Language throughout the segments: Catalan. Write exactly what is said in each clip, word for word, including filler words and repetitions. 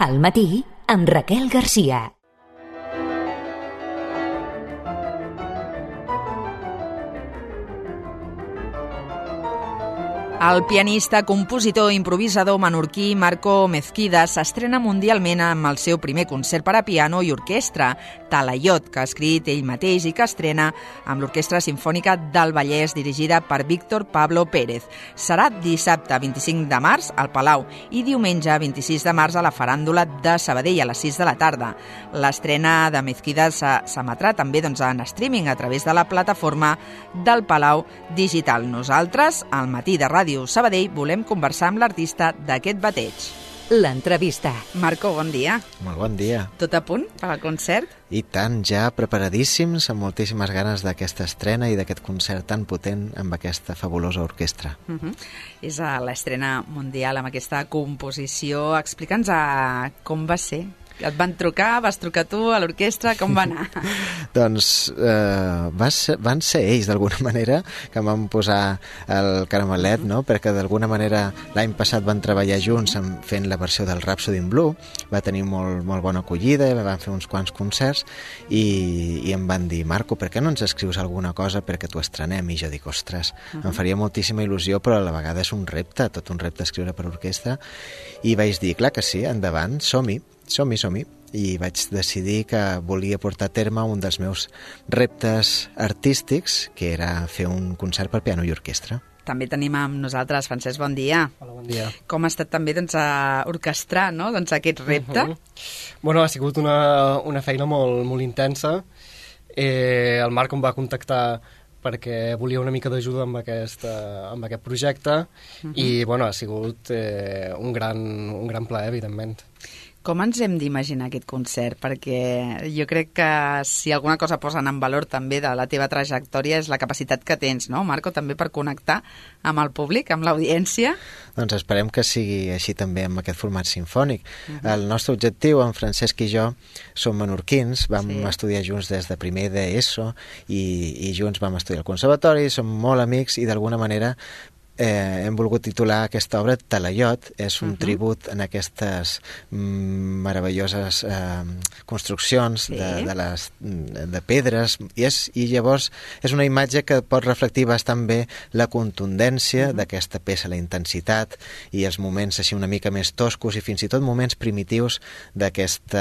Al matí, amb Raquel Garcia. El pianista, compositor i improvisador menorquí Marco Mezquida s'estrena mundialment amb el seu primer concert per a piano i orquestra, Talaiot, que ha escrit ell mateix i que estrena amb l'Orquestra Simfònica del Vallès, dirigida per Víctor Pablo Pérez. Serà dissabte vint-i-cinc de març al Palau i diumenge vint-i-sis de març a la Faràndula de Sabadell a les sis de la tarda. L'estrena de Mezquida s'emetrà també doncs, en streaming a través de la plataforma del Palau Digital. Nosaltres, al matí de Ràdio Sabadell, volem conversar amb l'artista d'aquest bateig. L'entrevista. Marco, bon dia. Molt bon dia. Tot a punt per al concert? I tant, ja preparadíssims, amb moltíssimes ganes d'aquesta estrena i d'aquest concert tan potent amb aquesta fabulosa orquestra. Uh-huh. És l'estrena mundial amb aquesta composició. Explica'ns a com va ser. Et van trucar, vas trucar tu a l'orquestra, com va anar? Doncs eh, va ser, van ser ells, d'alguna manera, que em van posar el caramelet, no? Perquè d'alguna manera l'any passat van treballar junts fent la versió del Rhapsody in Blue, va tenir molt, molt bona acollida, van fer uns quants concerts i, i em van dir, Marco, per què no ens escrius alguna cosa perquè t'ho estrenem? I jo dic, ostres, uh-huh. em faria moltíssima il·lusió, però a la vegada és un repte, tot un repte escriure per orquestra, i vaig dir, clar que sí, endavant, som-hi, som-hi, som-hi, i vaig decidir que volia portar a terme un dels meus reptes artístics, que era fer un concert per piano i orquestra. També tenim amb nosaltres Francesc, bon dia. Hola, bon dia. Com ha estat també doncs, a orquestrar no? doncs, aquest repte? Uh-huh. Bueno, ha sigut una, una feina molt, molt intensa. Eh, el Marc em va contactar perquè volia una mica d'ajuda amb, aquest, amb aquest projecte uh-huh. i bueno, ha sigut eh, un, gran, un gran plaer, evidentment. Com ens hem d'imaginar aquest concert? Perquè jo crec que si alguna cosa posen en valor també de la teva trajectòria és la capacitat que tens, no, Marco, també per connectar amb el públic, amb l'audiència. Doncs esperem que sigui així també amb aquest format sinfònic. Uh-huh. El nostre objectiu, en Francesc i jo, som menorquins, vam sí. estudiar junts des de primer d'ESO i, i junts vam estudiar al conservatori, som molt amics i d'alguna manera Eh, hem volgut titular aquesta obra Talaiot, és un uh-huh. tribut en aquestes mm, meravelloses eh, construccions sí. de, de, les, de pedres i, és, i llavors és una imatge que pot reflectir bastant bé la contundència uh-huh. d'aquesta peça, la intensitat i els moments així una mica més toscos i fins i tot moments primitius d'aquest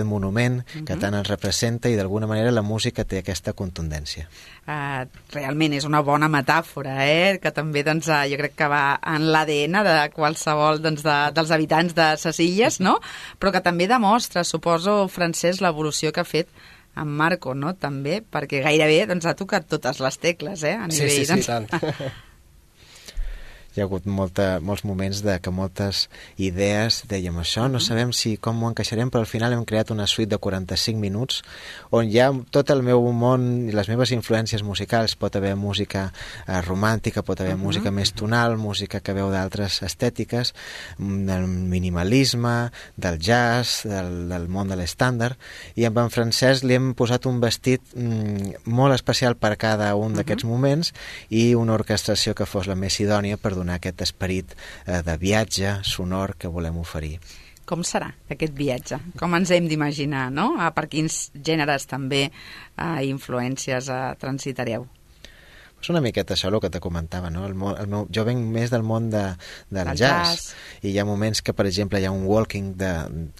monument uh-huh. que tant ens representa i d'alguna manera la música té aquesta contundència. Uh, realment és una bona metàfora, eh? Que també doncs, uh, jo crec que va en l'A D N de qualsevol doncs, de, dels habitants de ses illes, no? Però que també demostra, suposo, Francesc, l'evolució que ha fet en Marco, no? També, perquè gairebé doncs, ha tocat totes les tecles, eh? A nivell, sí, sí, doncs... sí, tant. Hi ha hagut molta, molts moments de que moltes idees dèiem això, no sabem si com ho encaixarem, però al final hem creat una suite de quaranta-cinc minuts on hi ha tot el meu món i les meves influències musicals. Pot haver música eh, romàntica, pot haver uh-huh. música més tonal, música que veu d'altres estètiques, del minimalisme, del jazz, del, del món de l'estàndard, i amb en Francesc li hem posat un vestit mm, molt especial per cada un uh-huh. d'aquests moments i una orquestració que fos la més idònia per donar aquest esperit eh, de viatge sonor que volem oferir. Com serà aquest viatge? Com ens hem d'imaginar, no? Per quins gèneres també eh, influències eh, transitareu? És una miqueta això el que te comentava, no? El, el meu, jo venc més del món de, del el jazz, jazz, i hi ha moments que, per exemple, hi ha un walking de,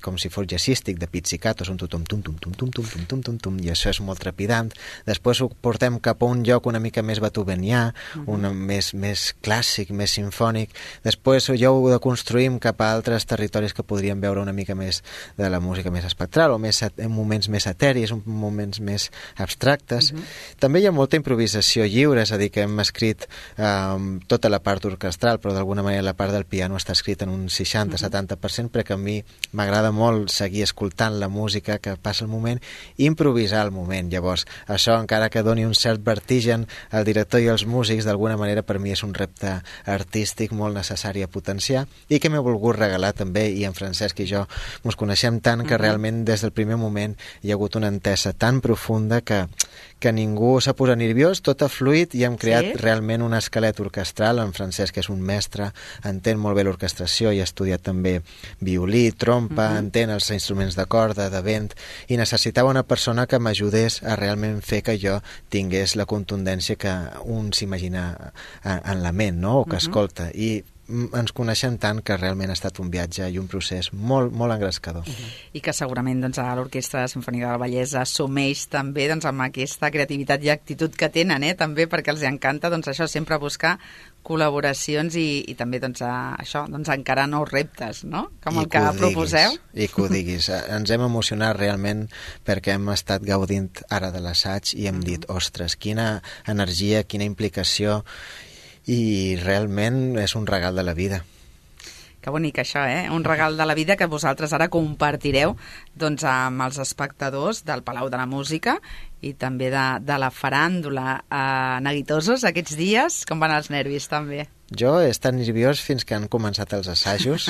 com si fos jazzístic, de pizzicatos, un tutum tum tum tum tum tum tum tum tum tum, i això és molt trepidant. Després ho portem cap a un lloc una mica més beethovenià, uh-huh. un més, més clàssic, més sinfònic. Després ja ho deconstruïm cap a altres territoris que podríem veure una mica més de la música més espectral, o més, en moments més eteris, en moments més abstractes. Uh-huh. També hi ha molta improvisació lliure, és a dir, que hem escrit eh, tota la part orquestral, però d'alguna manera la part del piano està escrita en un seixanta a setanta per cent, perquè a mi m'agrada molt seguir escoltant la música que passa al moment i improvisar al moment. Llavors, això, encara que doni un cert vertigen al director i als músics, d'alguna manera per mi és un repte artístic molt necessari a potenciar i que m'he volgut regalar també, i en Francesc i jo ens coneixem tant que realment des del primer moment hi ha hagut una entesa tan profunda que, que ningú s'ha posat nerviós, tot ha fluït i hem creat Sí? realment un esquelet orquestral. En Francesc, que és un mestre, entén molt bé l'orquestració i ha estudiat també violí, trompa, Mhm. entén els instruments de corda, de vent, i necessitava una persona que m'ajudés a realment fer que jo tingués la contundència que un s'imagina en la ment, no? O que Mhm. escolta. I ens coneixem tant que realment ha estat un viatge i un procés molt, molt engrescador. I que segurament doncs, a l'Orquestra Simfònica del Vallès assumeix també doncs, amb aquesta creativitat i actitud que tenen, eh? també perquè els encanta doncs, això sempre buscar col·laboracions i, i també doncs, a, això, doncs, encarar nous reptes, no? Com el I que, ho proposeu. Diguis, I que ho diguis. Ens hem emocionat realment perquè hem estat gaudint ara de l'assaig i hem Mhm. dit, ostres, quina energia, quina implicació, i realment és un regal de la vida. Que bonic això, eh? Un regal de la vida que vosaltres ara compartireu doncs, amb els espectadors del Palau de la Música i també de, de la faràndula. Eh, neguitosos aquests dies? Com van els nervis, també? Jo he estat nerviós fins que han començat els assajos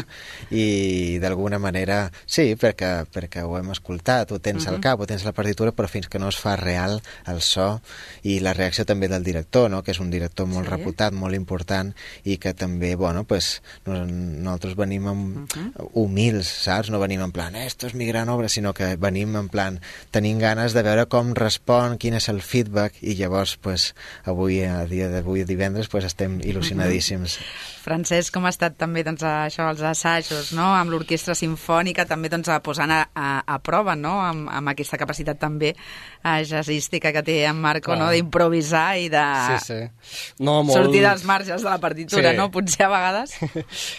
i d'alguna manera sí, perquè, perquè ho hem escoltat, ho tens Mhm. al cap, ho tens a la partitura, però fins que no es fa real el so i la reacció també del director, no? Que és un director molt Sí. reputat, molt important, i que també, bueno, pues, nos, nosaltres venim amb, Mhm. humils, saps? No venim en plan, esto és mi gran obra, sinó que venim en plan, tenim ganes de veure com respon, quin és el feedback, i llavors, pues, avui, a dia d'avui, divendres, pues, estem il·lusionadíssims. Francesc, com ha estat també doncs, això, els assajos, no? Amb l'Orquestra Simfònica, també doncs, posant a, a, a prova, no? Amb, amb aquesta capacitat també eh, jazzística que té en Marco, Clar. no? D'improvisar i de Sí, sí. No, molt... sortir dels marges de la partitura, Sí. no? Potser a vegades.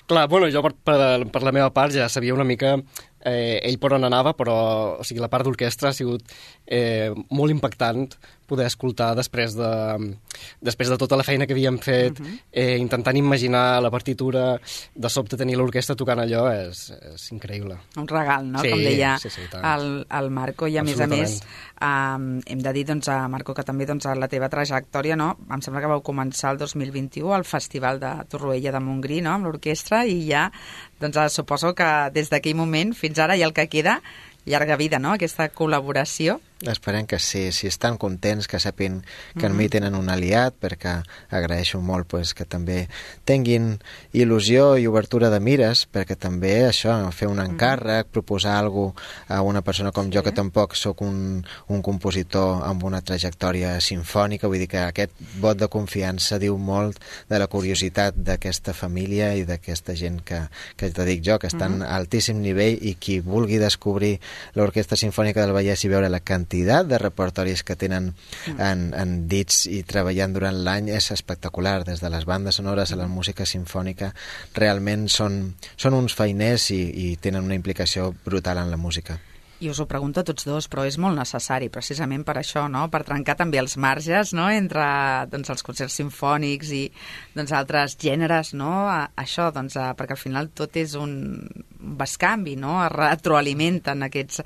Clar, bueno, jo per, per, per la meva part ja sabia una mica eh, ell per on anava, però o sigui, la part d'orquestra ha sigut eh, molt impactant poder escoltar després de, després de tota la feina que havíem fet, uh -huh. eh, intentant imaginar la partitura, de sobte tenir l'orquestra tocant allò és, és increïble. Un regal, no? Sí, Com deia sí, sí, tant. el, el Marco, i a més a més eh, hem de dir, doncs, a Marco, que també doncs, a la teva trajectòria, no? Em sembla que vau començar el dos mil vint-i-u al Festival de Torroella de Montgrí, no? Amb l'orquestra, i ja doncs, suposo que des d'aquell moment fins ara i el que queda, llarga vida, no?, aquesta col·laboració. Esperem que sí, si estan contents, que sapin que en mi tenen un aliat, perquè agraeixo molt pues, que també tinguin il·lusió i obertura de mires, perquè també això, fer un encàrrec, proposar alguna cosa a una persona com jo, que tampoc sóc un, un compositor amb una trajectòria sinfònica, vull dir que aquest vot de confiança diu molt de la curiositat d'aquesta família i d'aquesta gent que, que te dic jo, que estan a altíssim nivell, i qui vulgui descobrir l'Orquestra Simfònica del Vallès i veure la quantitat de repertoris que tenen en, en dits i treballant durant l'any és espectacular, des de les bandes sonores a la música sinfònica, realment són, són uns feiners i, i tenen una implicació brutal en la música. I us ho pregunto a tots dos, però és molt necessari precisament per això, no?, per trencar també els marges, no?, entre doncs, els concerts sinfònics i doncs, altres gèneres, no?, a, això, doncs, a, perquè al final tot és un bescanvi, no?, es retroalimenten aquests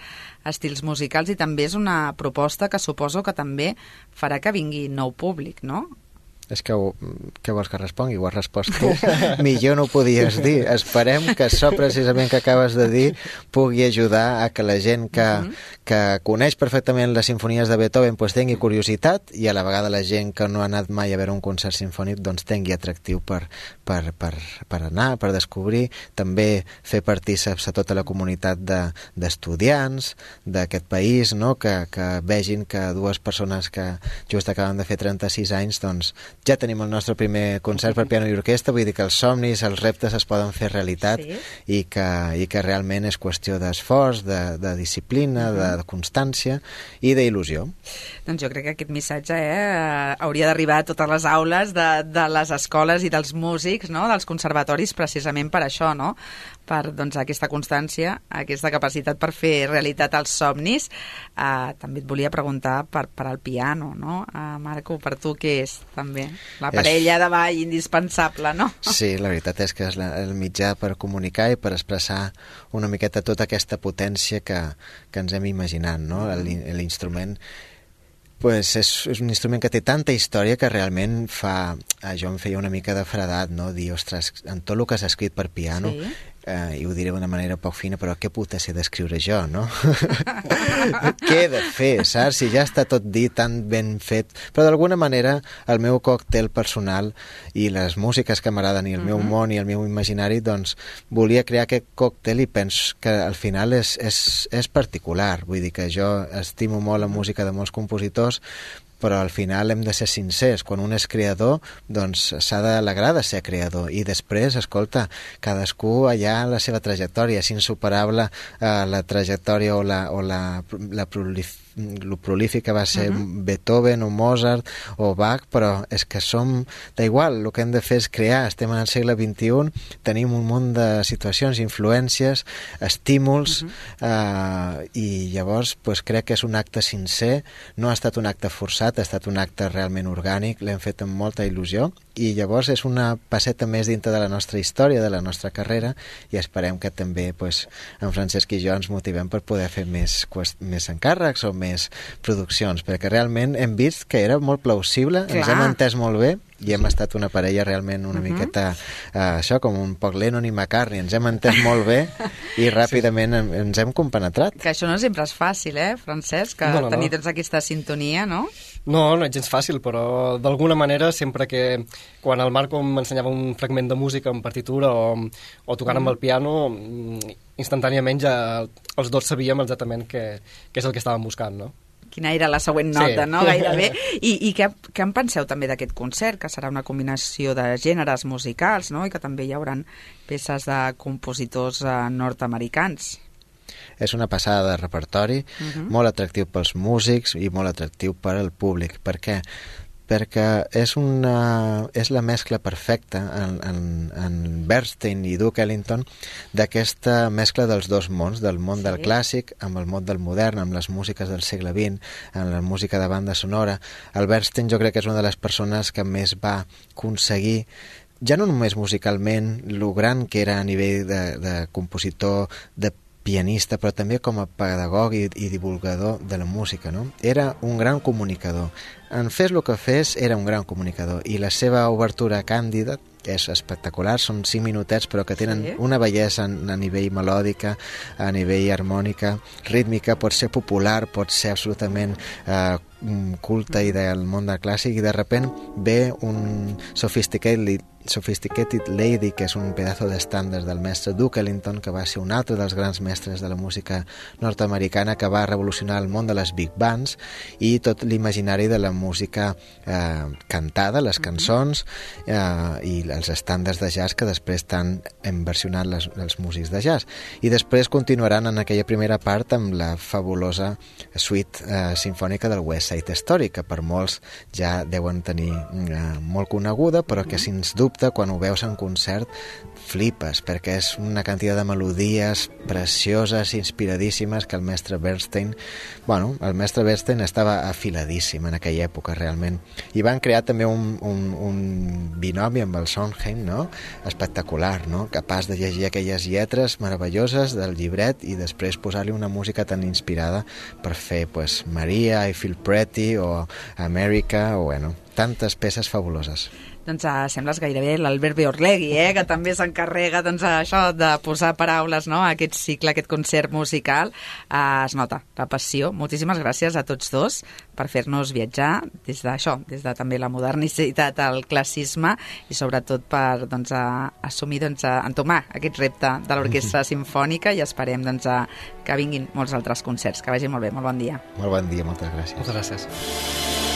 estils musicals, i també és una proposta que suposo que també farà que vingui nou públic, no? És que ho, què vols que respongui? Ho has respost tu. Millor no ho podies dir. Esperem que això precisament que acabes de dir pugui ajudar a que la gent que, uh -huh. que coneix perfectament les sinfonies de Beethoven pues, tingui curiositat, i a la vegada la gent que no ha anat mai a veure un concert sinfònic doncs tingui atractiu per, per, per, per anar, per descobrir, també fer partíceps a tota la comunitat d'estudiants de, d'aquest país, no? que, que vegin que dues persones que just acaben de fer trenta-sis anys doncs ja tenim el nostre primer concert per piano i orquestra, vull dir que els somnis, els reptes es poden fer realitat, Sí. i, que, i que realment és qüestió d'esforç, de, de disciplina, de, de constància i d'il·lusió. Doncs jo crec que aquest missatge eh, hauria d'arribar a totes les aules de, de les escoles i dels músics, no?, dels conservatoris, precisament per això, no?, per doncs, aquesta constància, aquesta capacitat per fer realitat els somnis. Eh, també et volia preguntar per, per al piano, no? Eh, Marco, per tu què és, també? La parella és... de ball indispensable, no? Sí, la veritat és que és la, el mitjà per comunicar i per expressar una miqueta tota aquesta potència que, que ens hem imaginat, no? L'instrument pues és, és un instrument que té tanta història que realment fa... Jo em feia una mica de fredat, no? Dir, ostres, en tot el que s'ha escrit per piano, Sí. eh, i ho diré d'una manera poc fina, però què puta sé d'escriure jo, no? Què he de fer, saps? Si ja està tot dit, tan ben fet. Però d'alguna manera el meu còctel personal i les músiques que m'agraden i el meu món i el meu imaginari, doncs volia crear aquest còctel i penso que al final és, és, és particular. Vull dir que jo estimo molt la música de molts compositors, però al final hem de ser sincers. Quan un és creador, doncs s'ha d'alegrar de ser creador. I després, escolta, cadascú allà la seva trajectòria. És insuperable eh, la trajectòria o la, o la, la prolif lo prolífic que va ser uh-huh. Beethoven o Mozart o Bach, però és que som d'igual, el que hem de fer és crear. Estem en el segle vint-i-un, tenim un munt de situacions, influències, estímuls, uh-huh. eh, i llavors pues, crec que és un acte sincer, no ha estat un acte forçat, ha estat un acte realment orgànic, l'hem fet amb molta il·lusió, i llavors és una passeta més dintre de la nostra història, de la nostra carrera, i esperem que també pues, en Francesc i jo ens motivem per poder fer més, més encàrrecs o més produccions, perquè realment hem vist que era molt plausible, Clar. Ens hem entès molt bé i hem estat una parella realment una uh-huh. miqueta uh, això, com un poc Lennon i McCartney, ens hem entès molt bé i ràpidament sí. ens hem compenetrat. Que això no sempre és fàcil, eh, Francesc, que no, no, tenir no. doncs aquesta sintonia, no? No, no és gens fàcil, però d'alguna manera sempre que quan el Marco m'ensenyava un fragment de música en partitura o, o tocant mm. amb el piano, instantàniament ja els dos sabíem exactament què, què és el que estàvem buscant, no? Quina era la següent nota, sí. no? Gairebé. I, i què, què en penseu també d'aquest concert, que serà una combinació de gèneres musicals, no? I que també hi haurà peces de compositors eh, nord-americans? És una passada de repertori, uh-huh. molt atractiu pels músics i molt atractiu per al públic. Per què? Perquè és, una, és la mescla perfecta en, en, en Bernstein i Duke Ellington d'aquesta mescla dels dos mons, del món sí. del clàssic amb el món del modern, amb les músiques del segle vint, amb la música de banda sonora. El Bernstein jo crec que és una de les persones que més va aconseguir, ja no només musicalment, lo gran que era a nivell de, de compositor, de pianista, però també com a pedagog i, i divulgador de la música, no? Era un gran comunicador. En fes el que fes, era un gran comunicador. I la seva obertura càndida és espectacular, són cinc minutets però que tenen sí. una bellesa a nivell melòdica, a nivell harmònica, rítmica, pot ser popular, pot ser absolutament eh, culta i del món del clàssic, i de repent ve un sophisticated Sophisticated Lady, que és un pedazo d'estàndard del mestre Duke Ellington, que va ser un altre dels grans mestres de la música nord-americana, que va revolucionar el món de les big bands i tot l'imaginari de la música eh, cantada, les cançons eh, i els estàndards de jazz que després t'han versionat les, els músics de jazz. I després continuaran en aquella primera part amb la fabulosa suite eh, sinfònica del West Side Story, que per molts ja deuen tenir eh, molt coneguda, però que sens dubte quan ho veus en concert flipes, perquè és una quantitat de melodies precioses, inspiradíssimes, que el mestre Bernstein, bueno, el mestre Bernstein estava afiladíssim en aquella època realment, i van crear també un, un, un binomi amb el Sondheim, no? Espectacular, no? Capaç de llegir aquelles lletres meravelloses del llibret i després posar-li una música tan inspirada per fer, pues, Maria, I Feel Pretty o America, o bueno, tantes peces fabuloses. Doncs uh, sembles gairebé l'Albert Beorlegui, eh? Que també s'encarrega doncs, això de posar paraules, no? a aquest cicle, a aquest concert musical. Uh, es nota la passió. Moltíssimes gràcies a tots dos per fer-nos viatjar des d'això, des de també la modernicitat al classisme i sobretot per doncs, a, assumir, doncs, a entomar aquest repte de l'Orquestra Simfònica, i esperem doncs, a, que vinguin molts altres concerts. Que vagi molt bé, molt bon dia. Molt bon dia, moltes gràcies. Moltes gràcies.